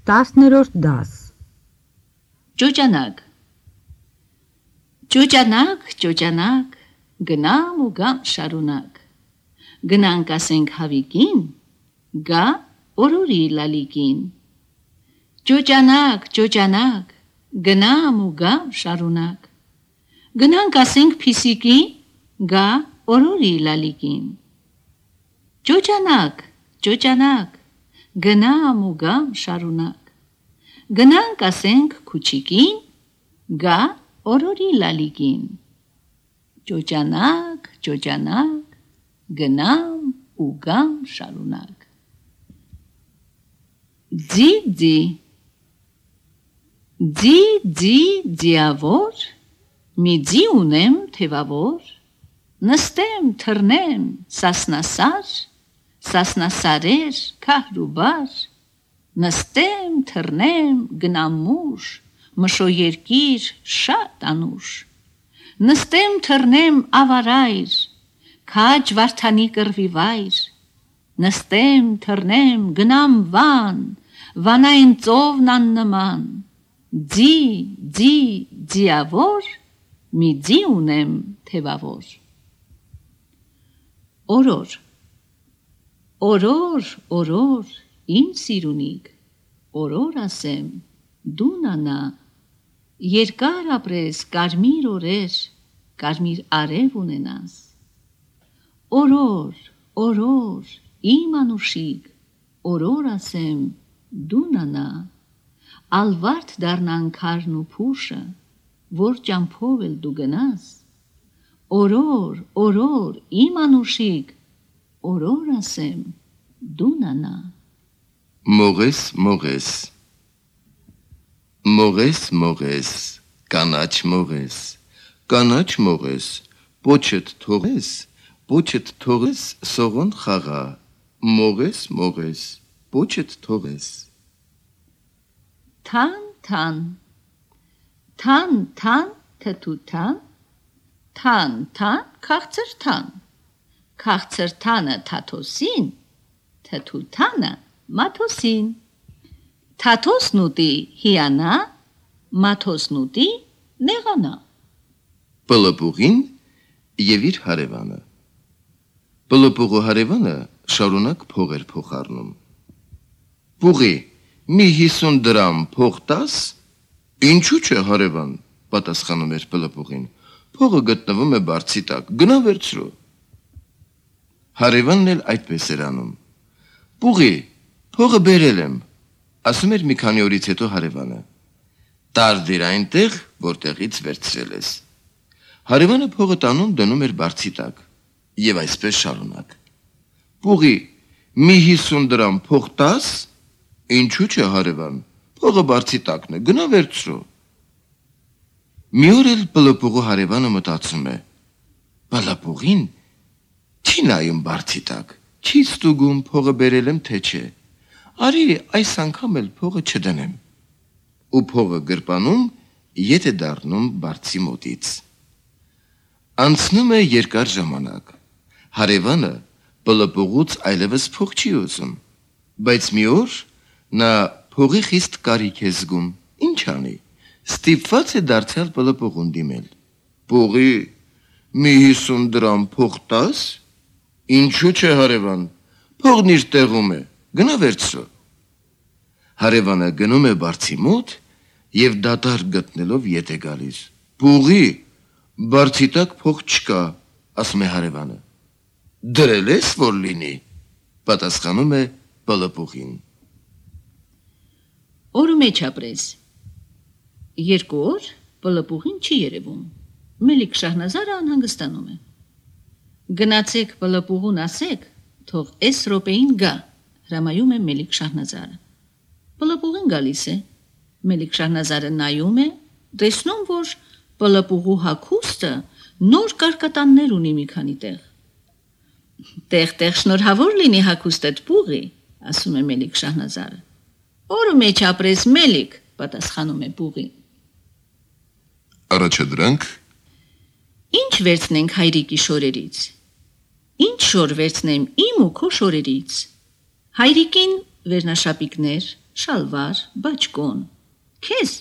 10-րդ դաս Ճոճանակ Ճոճանակ, ճոճանակ, գնամ ու գամ շարունակ Գնանք ասենք հավիկին, գա օրորի լալիկին Ճոճանակ, ճոճանակ, գնամ ու գամ շարունակ Գնանք ասենք փիսիկին, գա օրորի լալիկին Ճոճանակ, ճոճանակ, գնամ ու գամ շարունակ Գնանք ասենք քուչիկին, գա օրորի լալիկին Ճոճանակ, ճոճանակ, գնամ ու գամ շարունակ Ձի, ձի, ձի, ձի, ձիավոր, մի ձի ունեմ թևավոր Նստեմ, թռնեմ, սասնասար, սասնասարեր, քահրուբար Նստեմ, թռնեմ, գնամ մուշ, մշո երկիր, շատ անուշ Նստեմ, թռնեմ, ավարայր, քաջ վարդանի կռվի վայր Նստեմ, թռնեմ, գնամ վան, վանային ծովն աննման Ձի, ձի, ձիավոր, մի ձի ունեմ թևավոր Օրոր Օրոր, օրոր, իմ սիրունիկ, օրոր ասեմ, դու նանա Երկար ապրես, կարմիր օրեր, կարմիր արև ունենաս Օրոր, օրոր, իմ անուշիկ, օրոր ասեմ, դու նանա Ալվարդ դառնան քարն ու փուշը, որ ճամփով էլ դու գնաս Օրոր, օրոր, իմ անուշիկ, օրոր ասեմ, դու նանա Մողես, մողես Մողես, մողես, կանաչ մողես, կանաչ մողես, պոչդ թողես, սողոն խաղա, մողես, մողես, պոչդ թողես Թան, թան, թան, թան, թթու թան, թան, թան, քաղցր թան, քաղցր թանը թաթոսին, թթու թանը մաթոսին, թաթոսն ուտի հիանա, մաթոսն ուտի նեղանա Պլպուղին և իր հարևանը Պլպուղու հարևանը շարունակ փող էր փոխառնում Պուղի, մի 50 դրամ փող տաս, ինչու չէ հարևան, պատասխանում էր Պլպուղին, փողը գտնվում է բարձի տակ, գնա վերցրու Հարևանն էլ այդպես էր անում Պուղի, փողը բերել եմ, ասում էր մի քանի օրից հետո հարևանը Տարդիր այնտեղ, որտեղից վերցրել ես Հարևանը փողը տանում դնում էր բարձի տակ և այսպես շարունակ Պուղի, մի 50 դրամ փող տաս, ինչու չէ հարևան, փողը բարձի տակն է, գնա վերցրու Մի օր էլ Պլպուղու հարևանը մտածում է Պլպուղին չի նայում բարձի տակ, չի ստուգում փողը բերել եմ թե չէ Արի այս անգամ էլ փողը չդնեմ ու փողը գրպանում ետ է դառնում բարձի մոտից Անցնում է երկար ժամանակ Հարևանը Պլպուղուց այլևս փող չի ուզում բայց մի օր նա փողի խիստ կարիք է զգում ինչ անի ստիպված է դարձյալ Պլպուղուն դիմել Պուղի մի 50 դրամ փող տաս ինչու չէ հարևան փողն իր տեղում է գնա վերցրու Հարևանը գնում է բարձի մոտ և դատարկ գտնելով ետ է գալիս Պուղի բարձի տակ փող չկա ասում է հարևանը Դրել ես որ լինի պատասխանում է Պլպուղին Օրը մեջ ապրես Երկու օր Պլպուղին չի երևում Մելիք Շահնազարը անհանգստանում է Գնացեք Պլպուղուն ասեք թող էս րոպեին գա հրամայում է Մելիք Շահնազարը Պլպուղին գալիս է Մելիք Շահնազարը նայում է տեսնում որ Պլպուղու հագուստը նոր կարկատաններ ունի մի քանի տեղ Տեղ-տեղ շնորհավոր լինի հագուստդ Պուղի ասում է Մելիք Շահնազարը Օրը մեջ ապրես Մելիք պատասխանում է Պուղին Առաջադրանք Ինչ վերցնենք հայրիկի շորերից Ինչ շոր վերցնեմ իմ ու քո շորերից Հայրիկին վերնաշապիկներ շալվար, բաճկոն։ Քեզ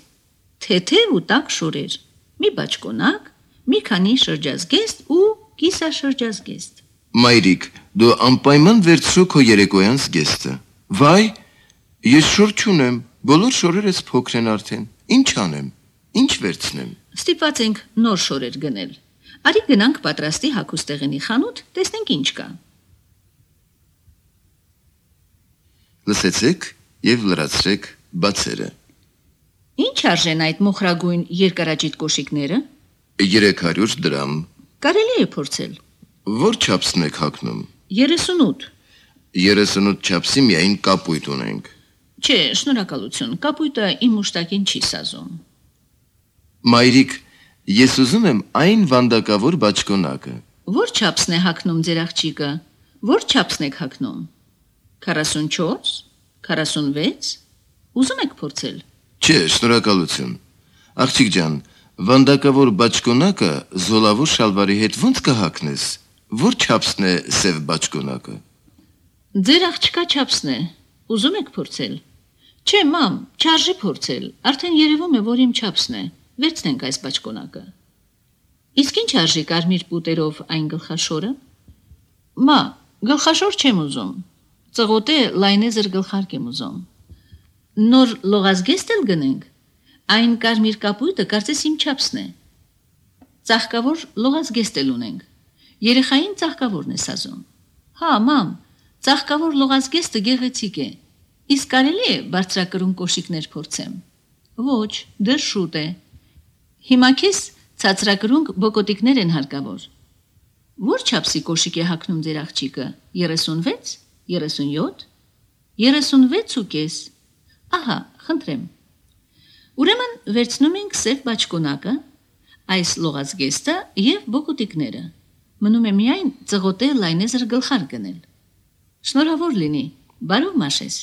թեթև ու տաք շորեր, մի բաճկոնակ, մի քանի շրջազգեստ ու կիսաշրջազգեստ։ Մայրիկ, դու անպայման վերցրու քո երեկոյան զգեստը։ Վայ, ես շոր չունեմ, բոլոր շորերս փոքր են արդեն։ Ինչ անեմ, ինչ վերցնեմ։ Ստիպված ենք նոր շորեր գնել։ Արի գնանք պատրաստի հագուստեղենի խանութ, տեսնենք ինչ կա։ Լսեցեք եւ լրացրեք բացերը։ Ինչ արժեն այդ մոխրագույն երկարաճիտ կոշիկները։ 300 դրամ։ Կարելի է փորձել։ Որ չափսն եք հագնում։ 38։ 38 չափսի միայն կապույտ ունենք։ Չէ, շնորհակալություն, կապույտը իմ մուշտակին չի սազում։ Մայրիկ, ես ուզում եմ այն վանդակավոր բաճկոնակը։ Որ չափսն է հագնում ձեր աղջիկը։ Որ չափսն եք հագնում։ 44, 46։ Ուզում եք փորձել։ Չէ, շնորհակալություն։ Աղջիկ ջան, վանդակավոր բաճկոնակը զոլավոր շալվարի հետ ո՞նց կհագնես։ Որ չափսն է սև բաճկոնակը։ Ձեր աղջկա չափսն է։ Ուզում եք փորձել։ Չէ, մամ, չարժի փորձել։ Արդեն երևում է, որ իմ չափսն է։ Վերցնենք այս բաճկոնակը։ Իսկ ինչ արժի կարմիր պուտերով այն գլխաշորը։ Մա, գլխաշոր չեմ ուզում։ Ծղոտե լայնեզր գլխարկ եմ ուզում։ Նոր լողազգեստ էլ գնենք։ Այն կարմիր կապույտը կարծես իմ չափսն է։ Ծաղկավոր լողազգեստ էլ ունենք։ Երեխային ծաղկավորն է սազում։ Հա, մամ, ծաղկավոր լողազգեստը գեղեցիկ է։ Իսկ կարելի է բարձրակրուն կոշիկներ փորձեմ։ Ոչ, դեռ շուտ է։ Հիմա քեզ ցածրակրուն բոկոտիկներ են հարկավոր։ Որ չափսի կոշիկ է հագնում ձեր աղջիկը։ 36, 37, 36.5։ Ահա, խնդրեմ։ Ուրեմն վերցնում ենք սև բաճկոնակը, այս լողազգեստը եւ բոկոտիկները։ Մնում է միայն ծղոտե լայնեզր գլխարկ գնել։ Շնորհավոր լինի, բարով մաշես։